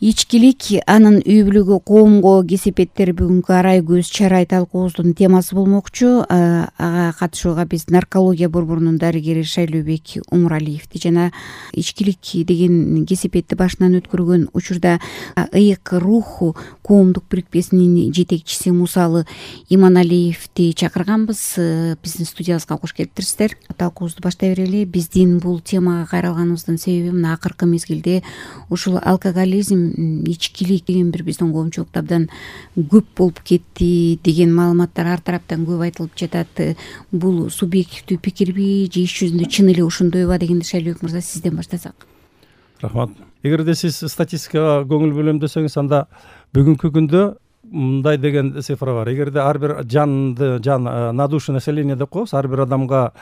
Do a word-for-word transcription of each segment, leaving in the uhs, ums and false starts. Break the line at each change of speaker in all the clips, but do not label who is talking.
Ичкилик анын үй бүлөгө, коомго кесепеттер бүгүнкү арай көз чарай талкуубуздун темасы болмокчу. Ага катышууга биз наркология борборунун дарыгери Шайлообек Умуралиевди жана ичкилик деген кесепетти башынан өткөргөн учурда ыйык рух коомдук бирикмесинин жетекчиси Мусалы Иманалиевди чакырганбыз. Биздин студиябызга кош келиптирсиздер. Талкуубузду баштай берели. Биздин бул темага кайрылганыбыздын себеби мына акыркы мезгилде ушул алкоголизм, ичкилик деген бир биздин коомчулукта абдан көп болуп кетти деген маалыматтар ар тараптан көп айтылып жатат. Бул субъективдүү пикирби же иш жүзүндө чын эле ошондойбу дегенди Шайлообек мырза сизден баштасак.
Рахмат. Эгерде сиз статистикага көңүл бөлөм десеңиз, анда бүгүнкү күндө мындай деген цифра бар. Эгерде ар бир жанды жан на душу населения деп коебуз, ар бир адамга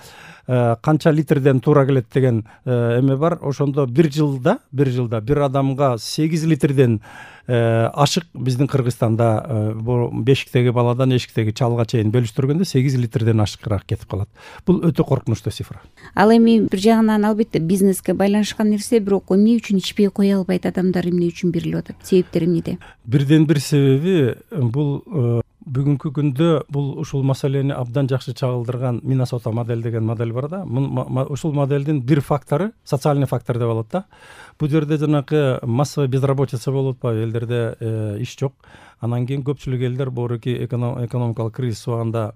канча литрден туура келет деген эме бар. Ошондо бир жылда бир жылда бир адамга сегиз литрден ашык биздин Кыргызстанда бешиктеги баладан эшиктеги чалга чейин бөлүштүргөндө сегиз литрден ашыгыраак кетип калат. Бул өтө коркунучтуу цифра.
Ал эми бир жагынан албетте бизнеске байланышкан нерсе, бирок эмне үчүн ичпей кое албайт адамдар, эмне үчүн берилип атат? Себептери эмнеде?
Бирден бир себеби бул бүгүнкү күндө бул ушул маселени абдан жакшы чагылдырган Миннесота модель деген модель бар да. Ушул моделдин бир фактору социальный фактор деп алат да. Бул жерде жанакы массовый безработица болуп атпайбы, элдерде иш жок. Анан кийин көпчүлүк элдер боруки экономикалык кризис убагында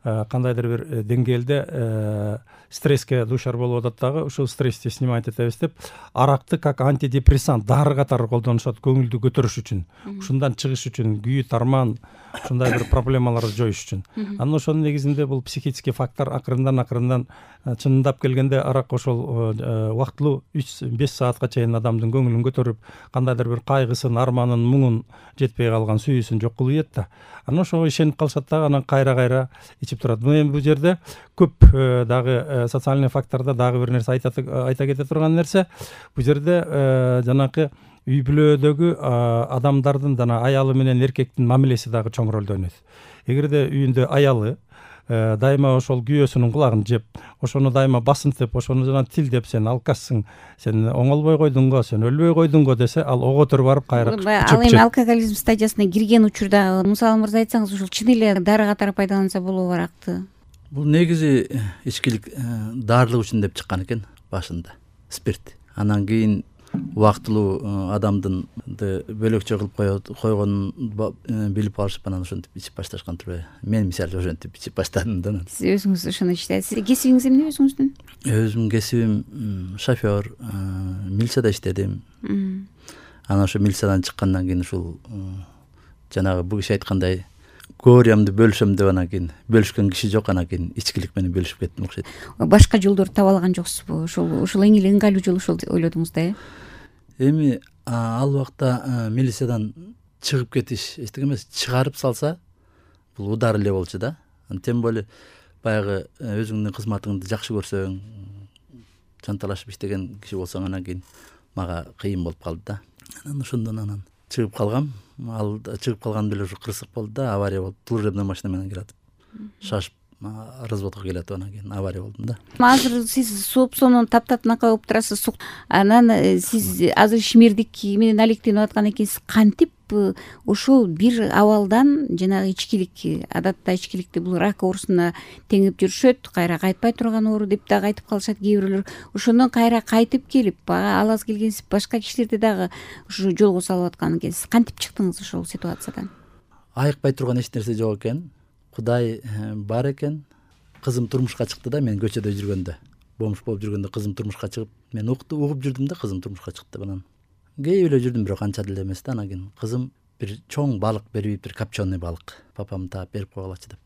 кандайдыр бир деңгээлде стресске дуушар болуп атат дагы. Ушул стрессти снимать этебиз деп аракты как антидепрессант дары катары колдонушат көңүлдү көтөрүш үчүн, ушундан чыгыш үчүн, күйүт, арман, ушундай бир проблемаларды жоюш үчүн. Анан ошонун негизинде бул психический фактор акырындан акырындан чынындап келгенде арак ошол убактылуу үч беш саатка чейин адамдын көңүлүн көтөрүп, кандайдыр бир кайгысын, арманын, муңун, жетпей калган сүйүүсүн жок кылып ийет да. Анан ошого ишенип калышат дагы, анан кайра-кайра ичип турат. Эми бул жерде көп дагы социальный фактордо дагы бир нерсе айта кете турган нерсе, бул жерде жанакы үй бүлөдөгү адамдардын жана аялы менен эркектин мамилеси дагы чоң ролду ойнойт. Эгерде үйүндө аялы дайыма ошол күйөөсүнүн кулагын жеп, ошону дайыма басынтып, ошону жана тилдеп, сен алкашсың, сен оңолбой койдуңго, сен өлбөй койдуңго десе, ал ого төр барып кайра чөп.
Ал эми алкоголизм стадиясына кирген учурда, мисалы мырза айтсаңыз, ушул чын эле дары катары пайдаланса болобу аракты?
Бул негизи ичкилик дарылык үчүн деп чыккан экен башында, спирт. Анан кийин убактылуу адамдын бөлөкчө кылып койгонун билип алышып, анан ошентип ичип башташкан турбайбы? Мен мисалы ошентип ичип баштадым да.
Сиз өзүңүз ошону ичтиңиз. Кесибиңиз эмне өзүңүздүн?
Өзүмдүн кесибим шофер, милицияда иштедим. Анан ошо милициядан чыккандан кийин ушул жанагы бул киши айткандай горемди бөлүшөм деп анан кийин бөлүшкөн киши жок, анан кийин ичкилик менен бөлүшүп кеттим окшойт.
Башка жолдорду таба алган жоксузбу? Ошол ушул эң эле ыңгайлуу жол ошол ойлодуңуз да, э?
Эми ал убакта милициядан чыгып кетиш эчтеке эмес, чыгарып салса бул удар эле болчу да. Тем более баягы өзүңдүн кызматыңды жакшы көрсөң, жанталашып иштеген киши болсоң, анан кийин мага кыйын болуп калды да. Анан ошондон анан чыгып калгам. Ал чыгып калган деле ушу кырсык болду да, авария болуп, служебный машина менен келатып, шашып разводко келатып, анан кийин авария болдум да.
Азыр сиз соопсонун таптатынакай болуп турасыз. Анан сиз азыр ишмердик менен алектенип аткан экенсиз. Кантип ошол бир абалдан жанагы ичкилик, адатта ичкиликти бул рак оорусуна теңип жүрүшөт, кайра кайтпай турган оору деп дагы айтып калышат кээ бирлер. Ошондон кайра кайтып келип, ал аз келгенсиз башка кишилерди дагы ушу жолго салып аткан экенсиз. Кантип чыктыңыз ошол ситуациядан?
Айыкпай турган эч нерсе жок экен. Кудай бар экен. Кызым турмушка чыкты да, мен көчөдө жүргөндө, бомж болуп жүргөндө кызым турмушка чыгып, мен угуп жүрдүм да, кызым турмушка чыкты. Анан кээп эле жүрдүм, бирок анча деле эмес да. Анан кийин кызым бир чоң балык берип, бир копченый балык, папам таап берип койгулачы деп.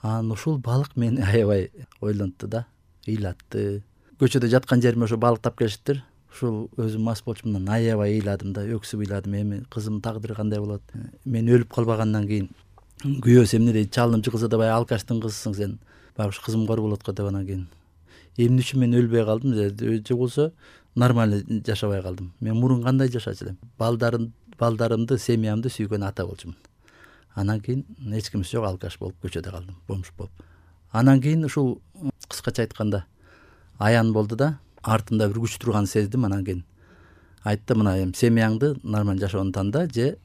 Анан ушул балык мени аябай ойлонтту да, ыйлатты. Көчөдө жаткан жериме ошо балык тап келишиптир. Ушул өзүм мас болчумун, аябай ыйладым да, өксүп ыйладым. Эми кызымдын тагдыры кандай болот? Мен өлүп калбагандан кийин күйөөсү эмне дейт? Чалымчы кызы да баягы алкаштын кызысың сен. Баягы ушу кызым кор болот го деп. Анан кийин эмне үчүн мен өлбөй калдым же болсо нормально жашабай калдым? Мен мурун кандай жашачу элем? Балдарым, балдарымды, семьямды сүйгөн ата болчумун. Анан кийин эч кимиси жок, алкаш болуп көчөдө калдым, бомж болуп. Анан кийин ушул кыскача айтканда аян болду да, артымда бир күч турганын сездим. Анан кийин айтты мына эми семьяңды нормально жашоону танда же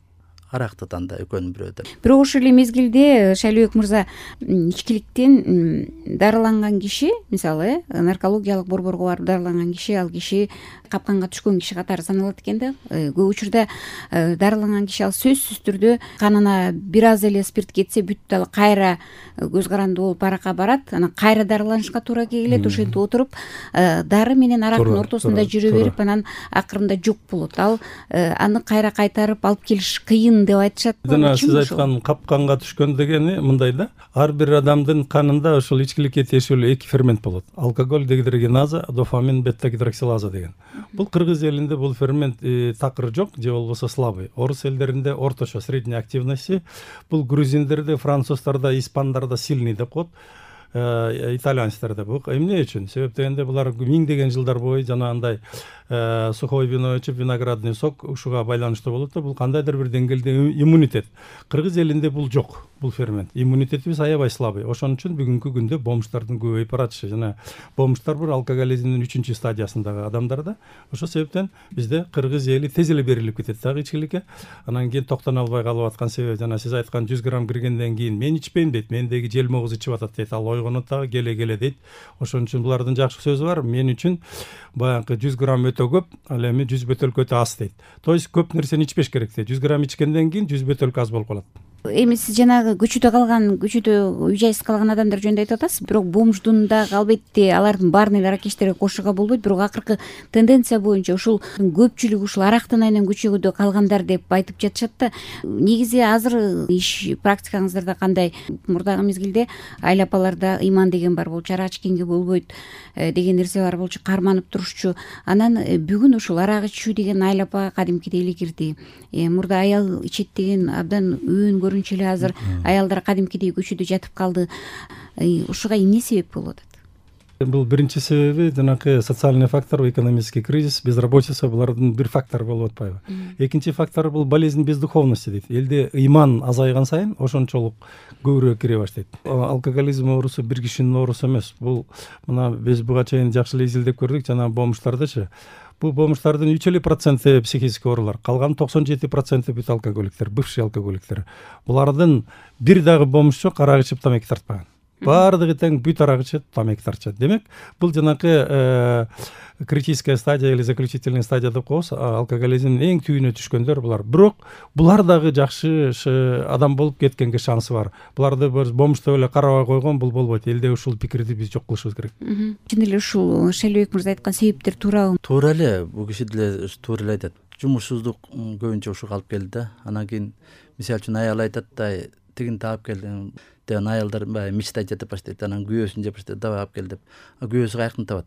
аракты танда, экөөнүн бирөө деп.
Бирок ошол эле мезгилде Шайлообек мырза ичкиликтен дарыланган киши, мисалы э наркологиялык борборго барып дарыланган киши, ал киши капканга түшкөн киши катары саналат экен да. Көп учурда дарыланган киши ал сөзсүз түрдө канына бир аз эле спирт кетсе бүт дал кайра көз каранды болуп аракка барат, анан кайра дарыланышка туура келет. Ошентип отуруп дары менен арактын ортосунда жүрө берип, анан акырында жок болот. Ал аны кайра кайтарып алып келиш кыйын деп айтышат.
Жана сиз айткан капканга түшкөн дегени мындай да, ар бир адамдын канында ошол ичкиликке тиешелүү эки фермент болот. Алкоголь дегидрогеназа, дофамин бета-гидроксилаза деген. Бул кыргыз элинде бул фермент такыр жок же болбосо слабый. Орус элдеринде орточо, средняя активности. Бул грузиндерде, француздарда, испандарда сильный деп коет. Итальянецтерде бул эмне үчүн? Себеп дегенде булар миңдеген жылдар бою жанагындай сухой вино ичип, виноградный сок ушуга байланыштуу болот да, бул кандайдыр бир деңгээлде иммунитет. Кыргыз элинде бул жок, бул фермент. Иммунитетибиз аябай слабый. Ошон үчүн бүгүнкү күндө бомждардын көбөйүп баратышы. Жана бомждар бир алкоголизмдин үчүнчү стадиясындагы адамдар да. Ошол себептен бизде кыргыз эли тез эле берилип кетет дагы ичкиликке. Анан кийин токтоно албай калып аткан себеби жана сиз айткан жүз грамм киргенден кийин мен ичпейм дейт, мендеги желмогуз ичип атат дейт. Ал ойгонот дагы келе-келе дейт. Ошон үчүн булардын жакшы сөзү бар. Мен үчүн баягы жүз грамм өтө көп, ал эми жүз бөтөлкө өтө аз дейт. То есть көп нерсени ичпеш керек дейт. жүз грамм ичкенден кийин жүз бөтөлкө аз болуп калат.
Эми сиз жанагы көчөдө калган, көчөдө үй жайсыз калган адамдар жөнүндө айтып атасыз. Бирок бомждун дагы албетте алардын баарын эле аракечтерге кошууга болбойт. Бирок акыркы тенденция боюнча ушул көпчүлүк ушул арактын айынан көчөдө калгандар деп айтып жатышат да. Негизи азыр иш практикаңыздарда кандай? Мурдагы мезгилде айыл апаларда ыйман деген бар болчу, ара ичкенге болбойт деген нерсе бар болчу, карманып турушчу. Анан бүгүн ушул арак ичүү деген айыл апага кадимкидей эле кирди. Мурда аял ичет деген абдан өөн көрүнчү эле азыр аялдар кадимкидей көчөдө жатып калды. Ушуга эмне себеп болуп атат?
Бул биринчи себеби жанакы социальный фактор, экономический кризис, безработица, булардын бир фактор болуп атпайбы. Экинчи фактор бул болезнь бездуховности дейт. Элде ыйман азайган сайын ошончолук көбүрөөк кире баштайт. Алкоголизм оорусу бир кишинин оорусу эмес. Бул мына биз буга чейин жакшы эле изилдеп көрдүк, жана бомждардычы. Бул бомждардын үч эле проценти психический оорулар, калган токсон жети проценти бүт алкоголиктер, бывший алкоголиктер. Булардын бир дагы бомж жок, арак ичип тамеки тартпаган. Баардыгы тең бүт арак ичет, тамеки тартышат. Демек, бул жанакы критическая стадия или заключительная стадия деп коебуз, алкоголизмдин эң түйүнө түшкөндөр булар. Бирок булар дагы жакшы адам болуп кеткенге шансы бар. Буларды бомж деп эле карабай койгон бул болбойт. Элде ушул пикирди биз жок кылышыбыз керек.
Чын эле ушул Шайлообек мырза айткан себептер туурабы?
Туура эле, бул киши деле туура эле айтат. Жумушсуздук көбүнчө ушуга алып келди да. Анан кийин мисалы үчүн аял айтат да, тигин таап келдим. Анан аялдар баягы мечтать этип баштайт, анан күйөөсүн жеп баштайт, давай алып кел деп. Күйөөсү каяктан табат?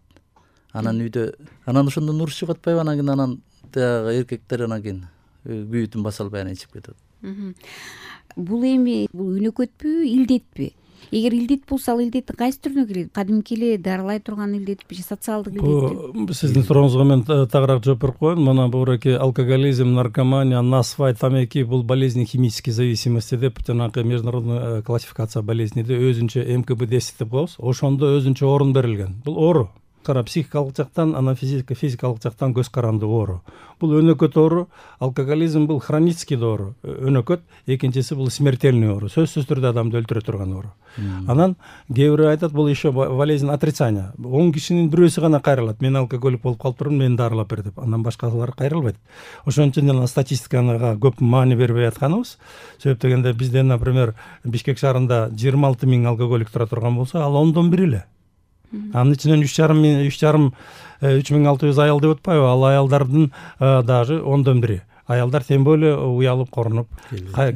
Анан үйдө, анан ошондон уруш чыгып атпайбы? Анан кийин анан тагы эркектер анан кийин күйүүтүн баса албай анан ичип кетет.
Бул эми бул үнөкөтпү, илдетпи? Эгер илдет болсо, ал илдеттин кайсы түрүнө кирет? Кадимки эле дарылай турган илдетпи же социалдык илдетпи?
Бул сиздин сурооңузга мен тагыраак жооп берип коеюн. Мына бураки алкоголизм, наркомания, насвай, тамеки бул болезни химической зависимости деп жанагы международный классификация болезнейде өзүнчө эм ка бэ десять деп коебуз. Ошондо өзүнчө орун берилген. Бул оору. Кара психикалык жактан, анан физикалык жактан көз каранды оору. Бул өнөкөт оору, алкоголизм бул хронический оору, өнөкөт, экинчиси бул смертельный оору, сөзсүз түрдө адамды өлтүрө турган оору. Анан кээ бирөө айтат, бул еще болезнь отрицания. он кишинин бирөөсү гана кайрылат. Мен алкоголик болуп калыптырмын, мени дарылап бер деп. Андан башкалар кайрылбайт. Ошон үчүн жана статистикага көп маани бербей атканыбыз. Себеп дегенде бизде, например, Бишкек шаарында жыйырма алты миң алкоголик тура турган болсо, ал ондон бир эле. Анын ичинен үч жарым үч жарым үч миң алты жүз аял деп атпайбы? Ал аялдардын даже ондон бири. Аялдар тем более уялып корунуп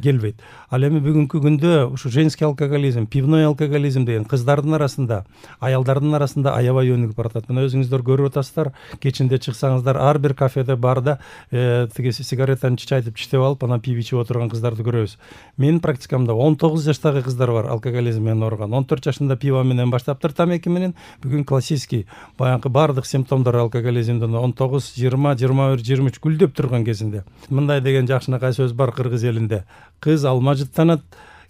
келбейт. Ал эми бүгүнкү күндө ушу женский алкоголизм, пивной алкоголизм деген кыздардын арасында, аялдардын арасында аябай өнүгүп баратат. Мына өзүңүздөр көрүп атасыздар, кечинде чыксаңыздар, ар бир кафеде барда тиги сигаретаны чичайтып чиштеп алып, анан пиво ичип отурган кыздарды көрөбүз. Менин практикамда он тогуз жаштагы кыздар бар алкоголизм менен ооруган. он төрт жашында пиво менен баштаптыр, тамеки менен. Бүгүн классический баягы бардык симптомдор алкоголизмдин он тогуз, жыйырма, жыйырма бир, жыйырма үч гүлдөп турган кезинде. Мындай деген жакшынакай сөз бар кыргыз элинде. Кыз алма жыттанат,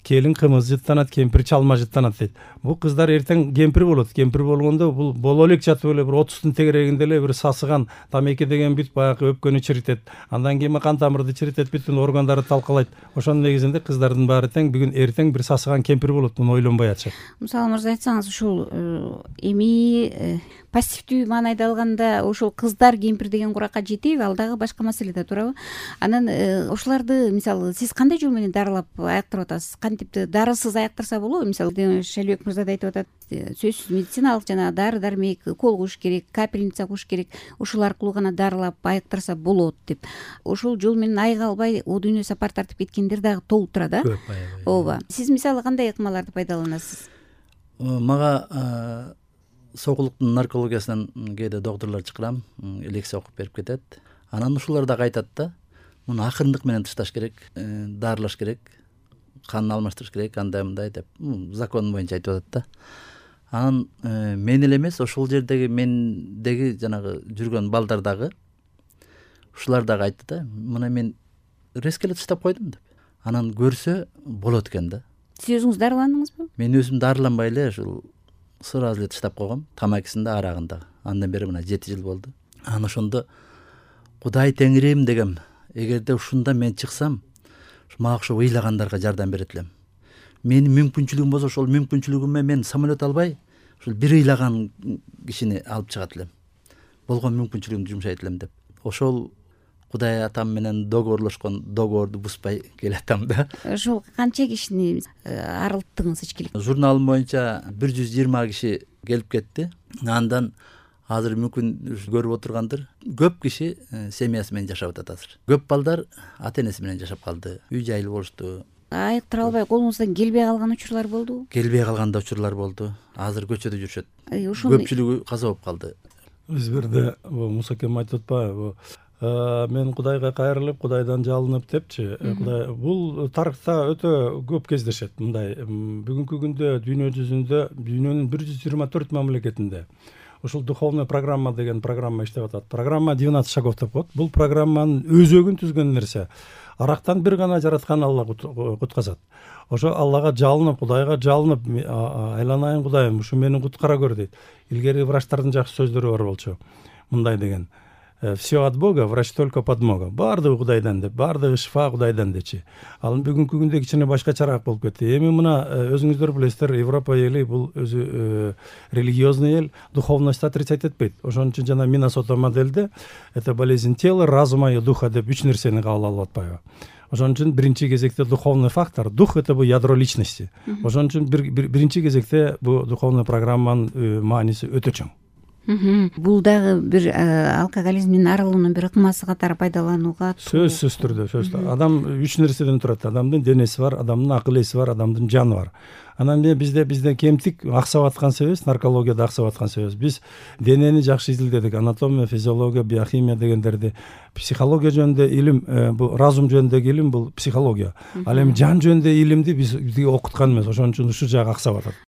келин кымыз жыттанат, кемпир чалма жыттанат дейт. Бул кыздар эртең кемпир болот. Кемпир болгондо бул боло элек жатып эле бир отуздун тегерегинде эле бир сасыган тамеки деген бүт баягы өпкөнү чиритет. Андан кийин кан тамырды чиритет, бүтүн органдарды талкалайт. Ошонун негизинде кыздардын баары тең бүгүн эртең бир сасыган кемпир болот, муну ойлонбой атышат.
Мисалы мырза айтсаңыз, ушул эми пассивдүү маанайда алганда ошол кыздар кемпир деген куракка жетеби, ал дагы башка маселе да, туурабы? Анан ошолорду мисалы сиз кандай жол менен дарылап аяктырып атасыз? Кантип дарысыз аяктырса болобу? Мисалы Шайлөөбек мырза да айтып атат, сөзсүз медициналык жана дары дармек укол куюш керек, капельница куюш керек, ушул аркылуу гана дарылап аяктырса болот деп. Ошол жол менен айыга албай о дүйнө сапар тартып кеткендер дагы толуп турат, да?
Көп, аябай.
Ооба. Сиз мисалы кандай ыкмаларды пайдаланасыз?
Мага сокулуктун наркологиясынан кээде докторлор чакырам, лекция окуп берип кетет. Анан ушулар дагы айтат да, муну акырындык менен тышташ керек, дарылаш керек, канын алмаштырыш керек, андай мындай деп закон боюнча айтып атат да. Анан мен эле эмес, ошол жердеги мендеги жанагы жүргөн балдар дагы ушулар дагы айтты да, мына мен резко эле тыштап койдум деп. Анан көрсө болот экен да.
Сиз өзүңүз дарыландыңызбы?
Мен өзүм дарыланбай эле ушул сразу эле тыштап койгом, тамакысын да, арагын да. Андан бери мына жети жыл болду. Анан ошондо Кудай Теңирим дегем, эгерде ушунда мен чыксам, мага окшоп ыйлагандарга жардам берет элем. Менин мүмкүнчүлүгүм болсо, ошол мүмкүнчүлүгүмө мен самолет албай, ушул бир ыйлаган кишини алып чыгат элем. Болгон мүмкүнчүлүгүмдү жумшайт элем деп. Ошол Кудай атам менен договорлошкон договорду бузбай келатам да.
Ошол канча кишини арылттыңыз ичкилик?
Журналым боюнча бир жүз жыйырма киши келип кетти. Андан азыр мүмкүн көрүп отургандыр, көп киши семьясы менен жашап атат азыр. Көп балдар ата энеси менен жашап калды, үй жайлуу болушту.
Айыктыра албай колуңуздан келбей калган учурлар болдубу?
Келбей калган да учурлар болду. Азыр көчөдө жүрүшөт.
Ошол
Көпчүлүгү каза болуп калды.
Биз бирде Муса акем айтып атпайбы, мен Кудайга кайрылып, Кудайдан жалынып депчи. Кудай бул тарыхта өтө көп кездешет. Мындай бүгүнкү күндө дүйнө жүзүндө, дүйнөнүн бир жүз жыйырма төрт мамлекетинде ушул духовный программа деген программа иштеп атат. Программа двенадцать шагов деп коет. Бул программанын өзөгүн түзгөн нерсе арактан бир гана жараткан Алла кутказат. Ошо Аллага жалынып, Кудайга жалынып, айланайын Кудайым, ушу мени куткара көр дейт. Илгери врачтардын жакшы сөздөрү бар болчу. Мындай деген: все от Бога, врач только подмога. Баардыгы Кудайдан деп, баардыгы шифа Кудайдан дечи. Ал бүгүнкү күндө кичине башкачараак болуп кетти. Эми мына өзүңүздөр билесиздер, Европа эли бул өзү религиозный эл, духовность отрицать этпейт. Ошон үчүн жана Миннесота модельде это болезнь тела, разума и духа деп үч нерсени кабыл алып атпайбы. Ошон үчүн биринчи кезекте духовный фактор, дух это бул ядро личности. Ошон үчүн биринчи кезекте бул духовный программанын мааниси өтө чоң.
Бул дагы бир алкоголизмдин арылуунун бир ыкмасы катары пайдаланууга
сөзсүз түрдө, сөзсүз. Адам үч нерседен турат. Адамдын денеси бар, адамдын акыл эси бар, адамдын жаны бар. Анан бизде бизде кемтик аксап аткан себебибиз, наркологияда аксап аткан себебибиз. Биз денени жакшы изилдедик, анатомия, физиология, биохимия дегендерди. Психология жөнүндө илим, бул разум жөнүндөгү илим бул психология. Ал эми жан жөнүндө илимди биз бизге окуткан эмес. Ошон үчүн ушул жагы аксап атат.